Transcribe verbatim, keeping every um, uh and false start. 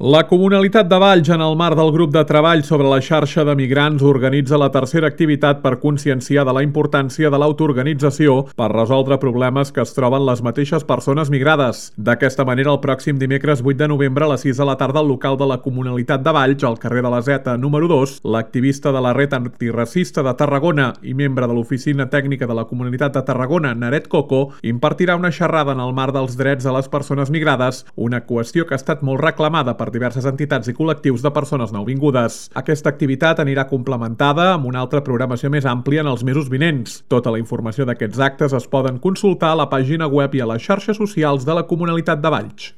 La Comunalitat de Valls, en el marc del grup de treball sobre la xarxa de migrants, organitza la tercera activitat per conscienciar de la importància de l'autoorganització per resoldre problemes que es troben les mateixes persones migrades. D'aquesta manera, el pròxim dimecres vuit de novembre a les sis de la tarda al local de la Comunalitat de Valls, al carrer de la Zeta número dos, l'activista de la Red Antiracista de Tarragona i membre de l'Oficina Tècnica de la Comunitat de Tarragona, Naret Coco, impartirà una xerrada en el marc dels drets de les persones migrades, una qüestió que ha estat molt reclamada per per diverses entitats i col·lectius de persones nouvingudes. Aquesta activitat anirà complementada amb una altra programació més àmplia en els mesos vinents. Tota la informació d'aquests actes es poden consultar a la pàgina web i a les xarxes socials de la Comunalitat de Valls.